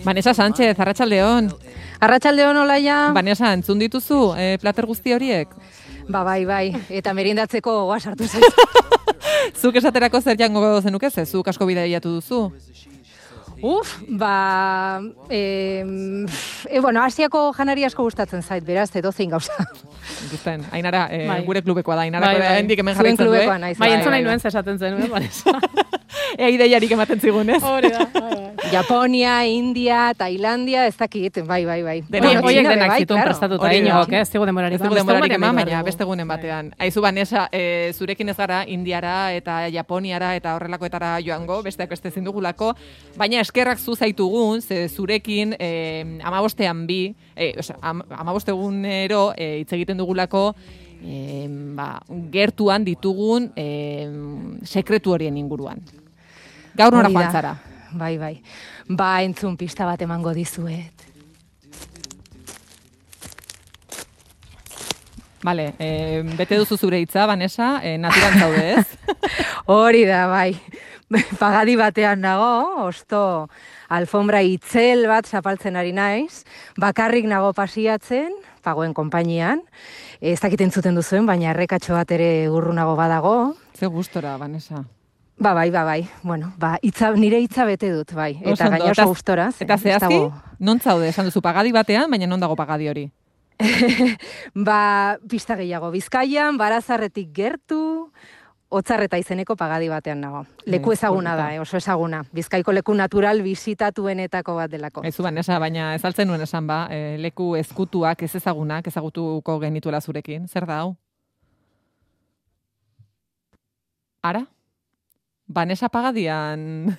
Vanessa Sánchez, arratsaldeon. Arratsaldeon, Olaia. Vanessa, entzun dituzu plater guzti horiek? Bai, eta merindatzeko gogoa sartu zaiz. Zuk esaterako zer jango zenuke ze? Zuk asko bidaiatu duzu? Asiako janari asko gustatzen zait, beraz, edozein gauza. Ikusten, Ainara, gure klubekoa da, Ainara, hendik hemen jarraitzen du, Bai, entzun nahi nuen zesaten zen, Vanessa. Ea ideiarik ematen zigun, ez? Hori da, Japonia, India, Tailandia, ez dakit, bai. Horiek denak zituen prestatuta, inok, ez dugu demorarik eman, baina beste gunen batean. Aizu, Vanessa, zurekin ez gara Indiara eta Japoniara eta horrelakoetara joango, besteak beste ezin dugulako, baina eskerrak zu zaitugun, ze zurekin 15 egunero hitz egiten dugulako gertuan ditugun sekretu horien inguruan. Gaur nora joan zara? Bai. Entzun pista bat emango dizuet. Vale, bete duzu zure hitza, Vanessa, naturan zaude, ez? Hori da, bai. Pagadi batean nago, osto alfombra itzel bat zapaltzen ari naiz, bakarrik nago pasiatzen, pagoen konpainian, ez dakit entzuten duzuen, baina errekatxo bat ere urrunago badago. Ze gustora, Vanessa. Bai. Bueno, nire hitza bete dut, bai. Eta gaina oso gustoraz. Eta zehazki, non zaude, esan duzu pagadi batean, baina non dago pagadi hori? Pista gehiago, Bizkaian, Barazarretik gertu, Otzarreta izeneko pagadi batean nago. Leku ezaguna da, oso ezaguna. Bizkaiko leku natural bisitatuenetako bat delako. Aizu, Vanessa, baina ez altzen nuen esan leku ezkutuak, ez ezagunak, ezagutuko genituela zurekin. Zer da hau? Ara? Vanessa pagadian...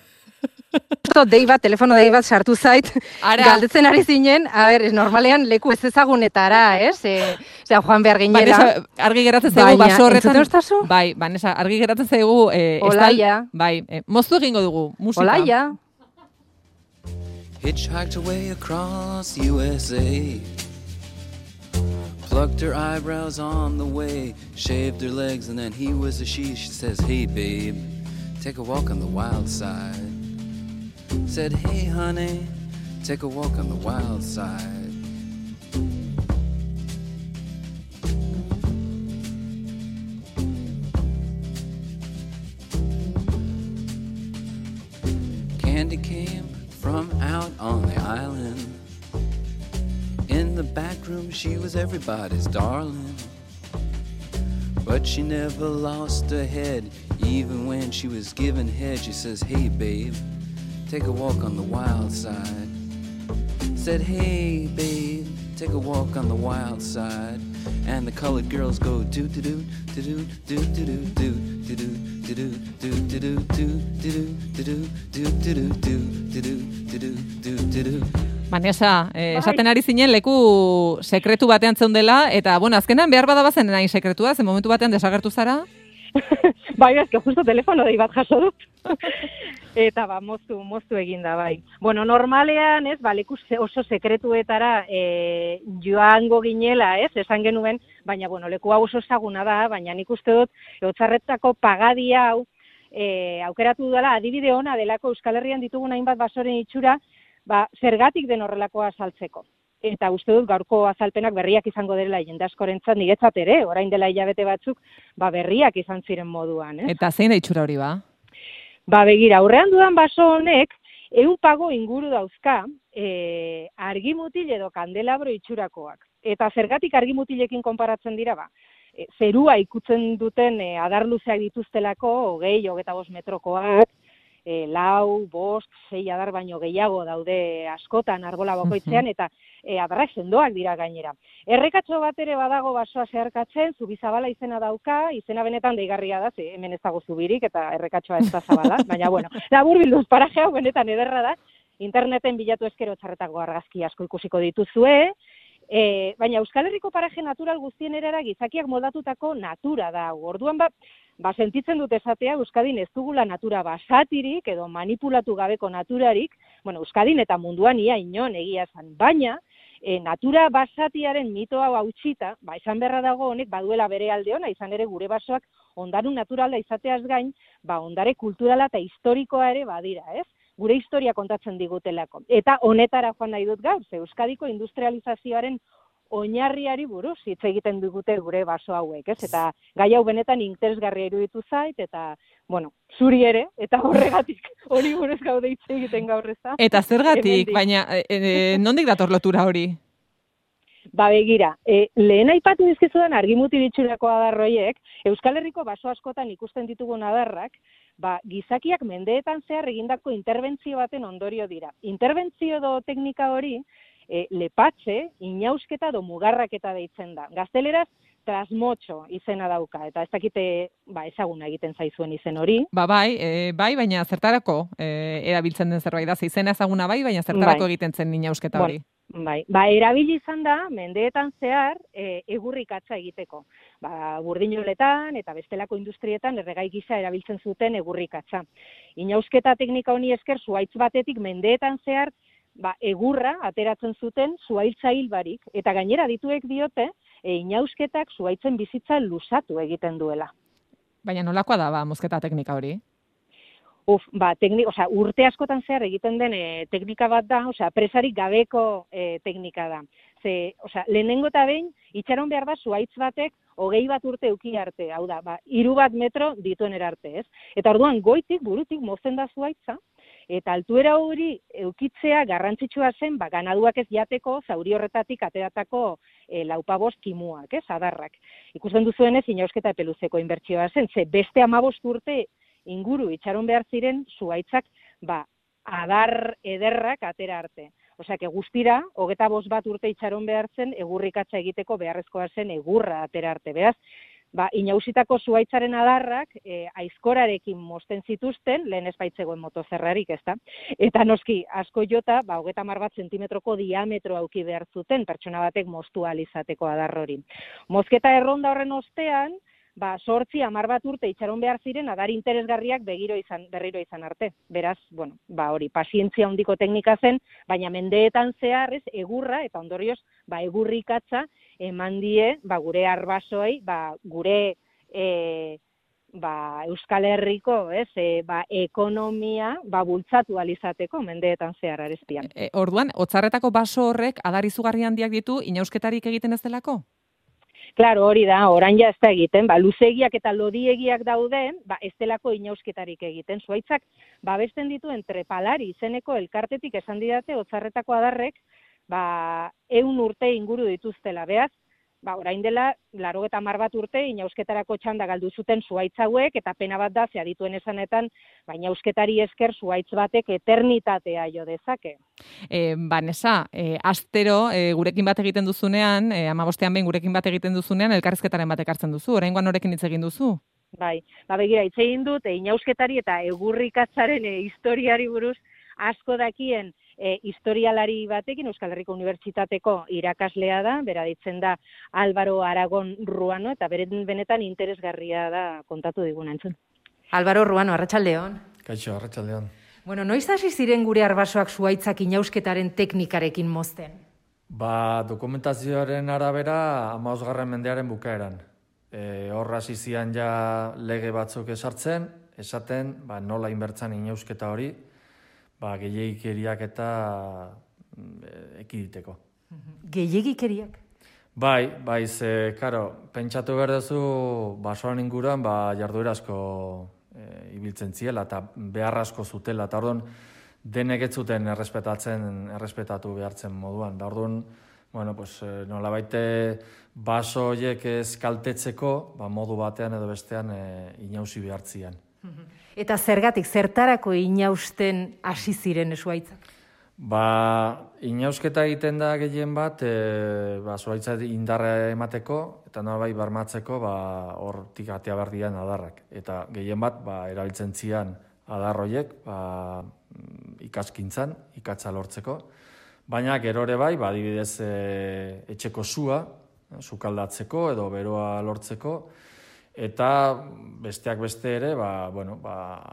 Telefono dei bat sartu zait, galdetzen ari zinen, normalean leku ez ezagunetara, ez? Joan behar ginela. Vanessa, argi geratzen zaigu baso horretan. Baina, entzuten ustazu? Bai, Vanessa, argi geratzen zaigu... Olaia. Bai, moztu egingo dugu, musika. Olaia. Hitchhiked away across USA, plucked her eyebrows on the way, shaved her legs and then he was a she says, hey babe, take a walk on the wild side. Said, hey honey, take a walk on the wild side. Candy came from out on the island. In the back room she was everybody's darling, but she never lost her head. Even when she was given head, she says, hey babe, take a walk on the wild side. Said, hey babe, take a walk on the wild side. And the colored girls go do do do do do do do do do do do do do do do do. Vanessa, esaten ari zinen leku sekretu batean zeundela, eta, azkenan behar badabazen nahi sekretua, zen momentu batean desagertu zara? Bai, ezke justo telefono dei bat jaso dut. Eta moztu eginda, bai. Normalean, ez, leku oso sekretuetara joango ginela, ez, esan genuen, baina, leku hau oso ezaguna da, baina nik uste dut, Otzarretako pagadi hau, aukeratu dela, adibide ona delako Euskal Herrian ditugun hainbat basoren itxura, zergatik den horrelakoa azaltzeko. Eta uste dut gaurko azalpenak berriak izango dela jende askorentzat, niretzat ere, orain dela hilabete batzuk, berriak izan ziren moduan. Eta zein da itxura hori ba? Begira, aurrean dudan baso honek, 100 pago inguru dauzka, argimutil edo kandelabro itxurakoak. Eta zergatik argimutilekin konparatzen dira, zerua ikutzen duten adarluzeak dituztelako, 20-25 metrokoak, 4, 5, 6 adar baino gehiago daude askotan arbola bakoitzean, eta adarrak sendoak dira gainera. Errekatxo bat ere badago basoa zeharkatzen, Zubizabala izena dauka, izena benetan deigarria da, hemen ez dago zubirik, eta errekatxoa ez da zabala, baina laburbilduz paraje hau benetan ederra da, interneten bilatu ezkero Otzarretako argazki asko ikusiko dituzue, baina Euskal Herriko paraje natural guztien erara gizakiak moldatutako natura da. Orduan sentitzen dut esatea, Euskadin ez dugula natura basatirik edo manipulatu gabeko naturarik, Euskadin eta munduan ia inon egia esan, baina natura basatiaren mito hau hautsita, esan beharra dago honek baduela bere alde ona, izan ere gure basoak ondaru naturala izateaz gain, ondare kulturala eta historikoa ere badira, ez? gure historia kontatzen digutelako. Eta honetara joan nahi dut gaur, ze Euskadiko industrializazioaren oinarriari buruz hitz egiten digute gure baso hauek, ez? Eta gai hau benetan interesgarria iruditu zait, eta, bueno, zuri ere, eta horregatik hori buruz gaude hitz egiten gaur ez da. Eta zergatik, baina nondik dator lotura hori? Ba begira, lehen aipatu dizkizudan argimutil itxurako adarroiek, Euskal Herriko baso askotan ikusten ditugun adarrak, ba, gizakiak mendeetan zehar egindako interbentzio baten ondorio dira. Interbentzio edo teknika hori, lepatxe, inausketa edo mugarraketa deitzen da. Gazteleraz, trasmotxo izena dauka, eta ez dakite ezaguna egiten zaizuen izen hori. Bai, baina zertarako erabiltzen den zerbait da, izena ezaguna baina zertarako egiten zen inausketa hori. Bai, erabili izan da, mendeetan zehar, egurrikatza egiteko. Burdinoletan eta bestelako industrietan erregai gisa erabiltzen zuten egurrikatza. Inausketa teknika honi esker zuhaitz batetik mendeetan zehar, egurra ateratzen zuten zuhaitza hil barik, eta gainera dituek diote, inausketak zuhaitzen bizitza luzatu egiten duela. Baina nolakoa da, mozketa teknika hori? Urte askotan zehar egiten den teknika bat da, presarik gabeko teknika da. Lehenengo eta behin, itxaron behar da zuhaitz batek 20 bat urte euki arte, hau da, 3 bat metro dituen erarte, ez? Eta orduan goitik, burutik mozten da zuhaitza, eta altuera hori eukitzea garrantzitsua zen, ganaduak ez jateko, zauri horretatik ateratako 4-5 kimuak, ez, adarrak. Ikusten duzuenez, inausketa epeluzeko inbertsioa zen, ze beste 15 urte inguru itxaron behar ziren zuhaitzak, adar ederrak atera arte. Osea, guztira, 25 bat urte itxaron behar zen, egurrikatza egiteko beharrezkoa zen egurra atera arte. Beraz, inausitako zuhaitzaren adarrak aizkorarekin mozten zituzten, lehen ez baitzegoen motozerrarik, ezta? Eta noski, asko jota, 30 bat zentimetroko diametro auki behar zuten, pertsona batek moztu ahal izateko adar hori. Mozketa erronda horren ostean, 8-10 bat urte itxaron behar ziren adar interesgarriak berriro izan arte. Beraz, hori, pazientzia handiko teknika zen, baina mendeetan zehar, egurra, eta ondorioz, egurrikatza eman die, gure arbasoei, gure Euskal Herriko, ekonomia, bultzatu alizateko mendeetan zehar arezpian. Orduan, Otzarretako baso horrek adar izugarri handiak ditu, inausketarik egiten ez delako? Claro, hori da, orain ja ez da egiten, luzegiak eta lodiegiak dauden, ez delako inausketarik egiten. Zuhaitzak, babesten dituen trepalari izeneko elkartetik esan didate, Otzarretako adarrek, 100 urte inguru dituztela. Beaz, orain dela, 80 bat urte, inausketarako txanda galdu zuten zuhaitz hauek, eta pena bat da, ze adituen esanetan, inausketari esker zuhaitz batek eternitatea jo dezake. Vanessa, astero gurekin bat egiten duzunean, 15ean behin gurekin bat egiten duzunean, elkarrizketaren batek hartzen duzu, oraingoan norekin hitz egin duzu? Bai, begira, hitz egin dut, inausketari eta egurrikatzaren historiari buruz asko dakien historialari batekin, Euskal Herriko Unibertsitateko irakaslea da, bera ditzen da Álvaro Aragon Ruano, eta benetan interesgarria da kontatu diguna entzun. Álvaro Ruano, arratsaldeon. Kaixo, arratsaldeon. Noiz hasi ziren gure arbasoak zuhaitzak inausketaren teknikarekin mozten? Dokumentazioaren arabera 15. mendearen bukaeran. Hor hasi zian ja lege batzuk esaten, nola inbertzan inausketa hori, gehiegikeriak eta ekiditeko. Gehiegikeriak? Bai, pentsatu behar duzu basoan inguruan jarduera asko ibiltzen ziela eta behar asko zutela, eta orduan denek ez zuten errespetatu behartzen moduan. Da orduan, nolabait baso horiek ez kaltetzeko, modu batean edo bestean inausi behartzian. Eta zertarako inausten hasi ziren zuhaitzak? Inausketa egiten da gehien bat, zuhaitza indarra emateko, eta nolabait bermatzeko, hortik atea behar dian adarrak. Eta gehien bat, erabiltzen zian adar horiek, ikaskintzan, ikatza lortzeko. Baina gero ere bai, adibidez etxeko sua, sukaldatzeko edo beroa lortzeko, eta besteak beste ere,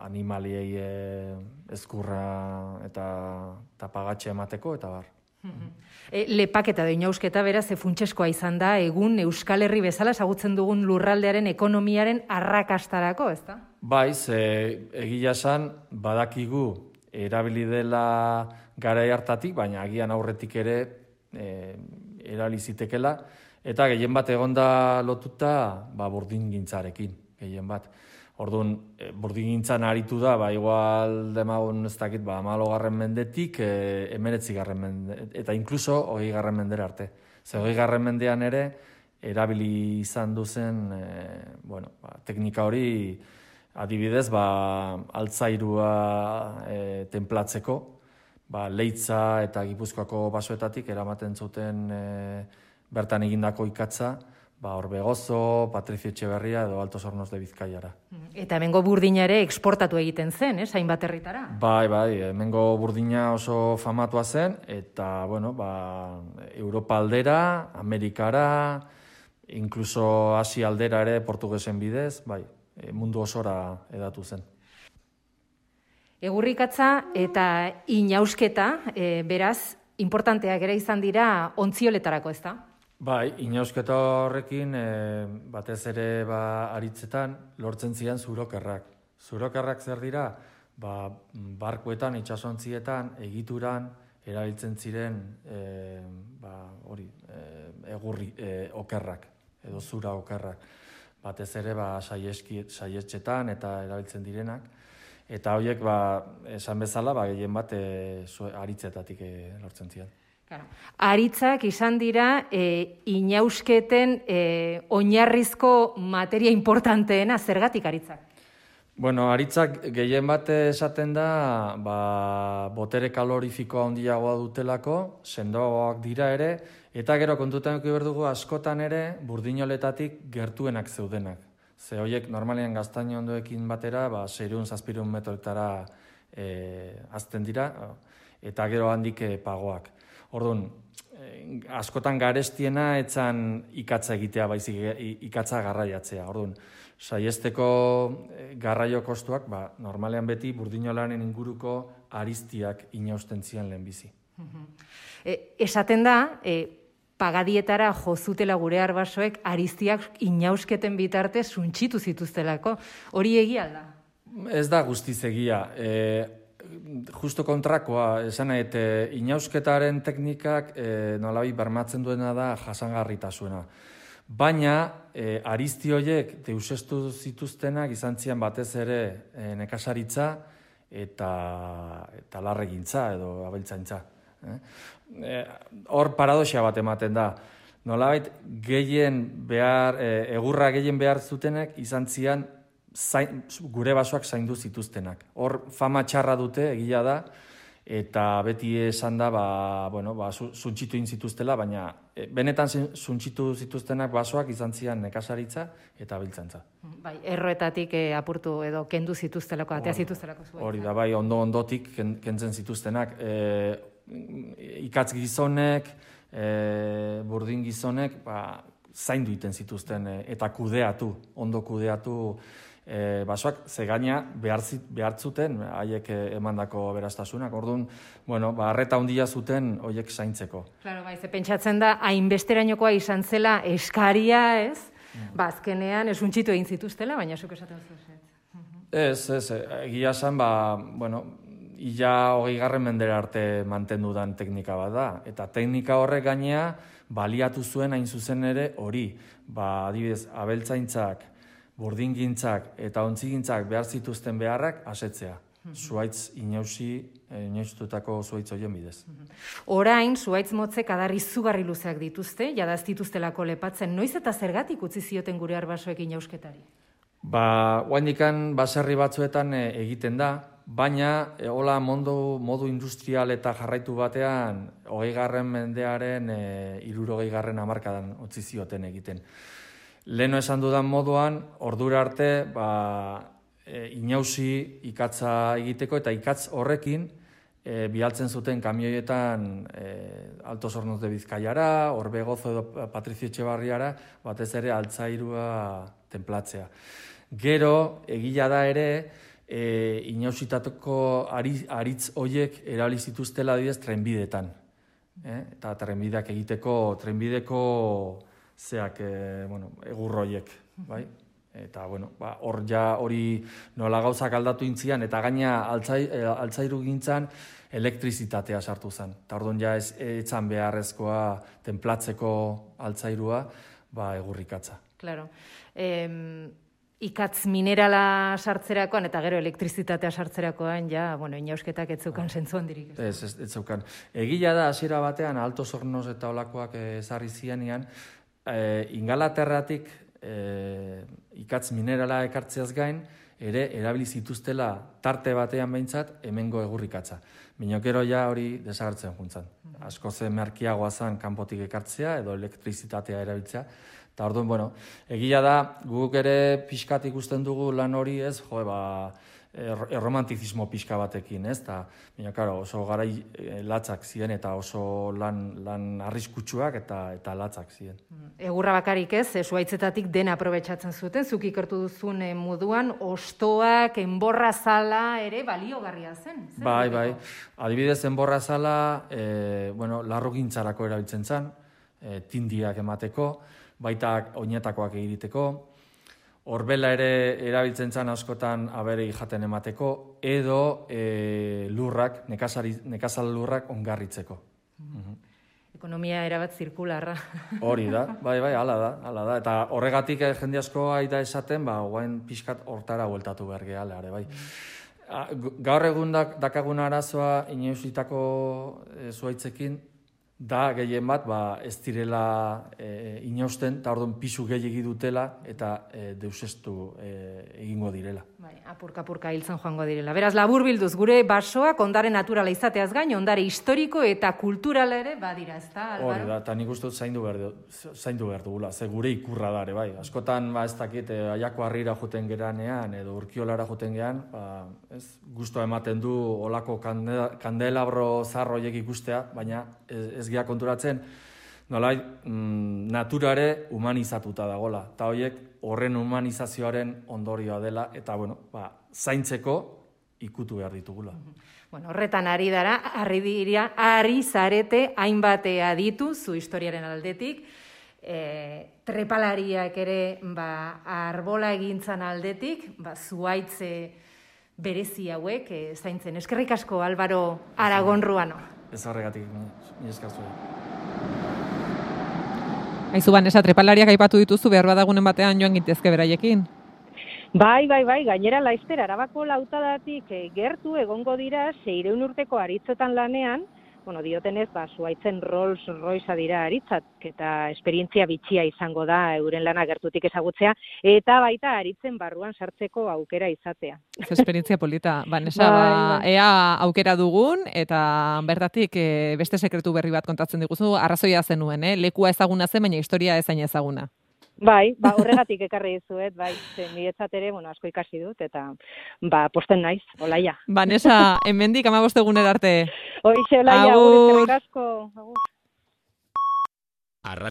animaliei ezkurra eta pagatxe emateko, eta bar. Lepaketa da inausketa beraz, funtseskoa izan da, egun Euskal Herri bezala ezagutzen dugun lurraldearen ekonomiaren arrakastarako, ezta? Bai, egia esan, badakigu erabili dela garai hartatik, baina agian aurretik ere erabili zitekela, eta gehien bat egonda lotuta burdingintzarekin, gehien bat. Orduan, burdingintzan aritu da, igual demagun ez dakit, 14. mendetik, 19. mende, eta inkluso 20. mendera arte. Ze 20. mendean ere, erabili izan duzen, teknika hori, adibidez, altzairua tenplatzeko, Leitza eta Gipuzkoako basoetatik eramaten zuten bertan egindako ikatza, Orbegozo, Patrizio Etxeberria edo Altos Hornos de Bizkaiara. Eta hemengo burdina ere eksportatu egiten zen, hainbat herritara? Bai, hemengo burdina oso famatua zen, eta, Europa aldera, Amerikara, inkluso Asia aldera ere portugesen bidez, mundu osora edatu zen. Egurrikatza eta inausketa, beraz, importanteak ere izan dira ontzioletarako, ez da? Bai, inausketa horrekin, batez ere aritzetan, lortzen ziren zurokerrak. Zurokerrak zer dira? Barkuetan, itsasontzietan, egituran, erabiltzen ziren egurri okerrak, edo zura okerrak. Batez ere saietxetan eta erabiltzen direnak. Eta horiek, esan bezala, gehien bat aritzetatik lortzen ziren. Aritzak izan dira inausketen oinarrizko materia importanteena, zergatik aritzak? Aritzak gehien bat esaten da, botere kalorifikoa handiagoa dutelako, sendoagoak dira ere, eta gero kontutan eduki behar dugu askotan ere burdinoletatik gertuenak zeudenak. Ze horiek normalean gaztaino ondoekin batera, 600-700 metroetara azten dira, eta gero handik pagoak. Orduan, askotan garestiena etzan ikatza egitea, baizik ikatza garraiatzea. Orduan, saiesteko garraio kostuak, normalean beti burdinolanen inguruko ariztiak inausten zian lehenbizi. Esaten da, pagadietara jozutela gure arbasoek ariztiak inausketen bitarte suntxitu zituztelako. Hori egia da? Ez da guztiz egia. Justo kontrakoa, esan nahi, inausketaren teknikak nolabi bermatzen duena da jasangarritasuna. Baina, arizti horiek deusestu zituztenak izan zian batez ere nekasaritza eta larregintza edo abeltzaintza. Hor paradoxia bat ematen da. Nolabait, egurra gehien behar zutenek izan zian gure basoak zaindu zituztenak. Hor fama txarra dute, egia da, eta beti esan da, suntxitu egin zituztela, baina benetan suntxitu zituztenak basoak izan zian nekasaritza eta abiltzantza. Erroetatik apurtu edo kendu zituztelako, atea zituztelako zuen. Hori da, ondotik kentzen zituztenak. Ikatz gizonek, burdin gizonek, zaindu iten zituzten eta ondo kudeatu basoak, ze gaina behar zuten haiek emandako berastasunak. Orduan, arreta handia zuten horiek zaintzeko. Claro, ze pentsatzen da, hainbesterainokoa izan zela eskaria, ez? Azkenean, esuntxitu egin zituztela, baina zuk esaten zuen. Ez, egia esan, ia 20. mendera arte mantendu dan teknika bat da. Eta teknika horrek gainea baliatu zuen hain zuzen ere hori. Adibidez, abeltzaintzak, burdingintzak eta ontzigintzak behar zituzten beharrak asetzea. Zuaitz inaustutako zuaitz horien bidez. Orain, zuaitz motzek adar izugarri luzeak dituzte, jadaz dituztelako lepatzen. Noiz eta zergatik utzi zioten gure arbasoek inausketari? Oaindikan baserri batzuetan egiten da, baina hola modu industrial eta jarraitu batean 20. mendearen 60. hamarkadan utzi zioten egiten. Leheno esan dudan moduan, ordura arte, inausi ikatza egiteko eta ikatz horrekin bialtzen zuten kamioietan Altos Hornos de Bizkaiara, Orbegozo edo Patrizio Etxeberriara, batez ere altzairua tenplatzea. Gero, egila da ere, inausitatoko aritz hoiek erabili zituztela adibidez trenbidetan. Eta trenbideak egiteko, trenbideko egur hoiek, bai? Eta, bueno, hor ja hori nola gauzak aldatu intzian, eta gaina altzairu gintzan elektrizitatea sartu zen. Eta orduan ja etzan beharrezkoa tenplatzeko altzairua, egurrikatza. Claro. Ikatz minerala sartzerakoan eta gero elektrizitatea sartzerakoan, ja, bueno, inausketak ez zeukan zentzu handirik. Ez zeukan. Egila da, hasiera batean, Alto Hornos eta olakoak ezarri zianean, Ingalaterratik ikatz minerala ekartzeaz gain, ere erabili zituztela tarte batean behintzat hemengo egurrikatza. Minokero ja hori desagertzen juntzan. Asko ze merkiagoa zen kanpotik ekartzea edo elektrizitatea erabiltzea. Eta orduan, bueno, egia da, guk ere pixkat ikusten dugu lan hori ez, erromantizismo pixka batekin, ez? Eta, oso garai latzak ziren eta oso lan arriskutsuak eta latzak ziren. Egurra bakarik ez, zuhaitzetatik dena aprobetxatzen zuten, zuk ikertu duzun moduan, ostoak, enborra zala ere baliogarria zen. Bai. Adibidez, enborra zala, larrugintzarako erabiltzen zen, tindiak emateko, baita oinetakoak egiteko, horbela ere erabiltzen zen askotan abere jaten emateko, edo lurrak, nekazal lurrak ongarritzeko. Ekonomia erabat zirkularra. Hori da, bai, hala da. Eta horregatik jende asko aita esaten, guain pixkat hortara bueltatu behar gehala, bai. Gaur egun dakagun arazoa inoizitako zuhaitzekin, da gehien bat, ez direla inausten, eta orduan pisu gehiegi dutela, eta deusestu egingo direla. Apurka hiltzen joango direla. Beraz, labur bilduz, gure basoak ondare naturala izateaz gain, ondare historiko eta kulturala ere badira, ez da, Albaro? Hori da, eta nik uste dut zaindu behar dugula, ze gure ikurra dare, bai. Askotan, ez dakit, Aiako Harrira joten geranean, edo Urkiolara joten geran, guztua ematen du olako kandelabro zarroiek ikustea, baina ez gea konturatzen, nolai, naturare humanizatuta dagola. Eta horiek horren humanizazioaren ondorioa dela, eta, zaintzeko ikutu behar ditugula. Horretan ari zarete hainbat aditu zu historiaren aldetik, trepalariak ere arbola egintzan aldetik, zuhaitze berezi hauek zaintzen. Eskerrik asko, Albaro Aragon Ruano. Ez horregatik, ni eskarzu. Aizu Vanessa, trepalariak aipatu dituzu, behar badagunen batean joan gintezke beraiekin? Bai, gainera Laizter Arabako lautadatik gertu egongo dira 600 urteko aritzetan lanean, diotenez, zuhaitzen Rolls Royce dira aritzat, eta esperientzia bitxia izango da euren lana gertutik ezagutzea, eta baita aritzen barruan sartzeko aukera izatea. Esperientzia polita. Vanessa, ea aukera dugun, eta bertatik beste sekretu berri bat kontatzen diguzu, arrazoia zenuen, lekua ezaguna zen, baina historia ezain ezaguna. Bai, horregatik ekarri dizuet, bai, niretzat ere, asko ikasi dut, eta, posten naiz, Olaia. Vanessa, hemendik 15 egunera arte. Hoixe, Olaia, agur, eskerrik asko.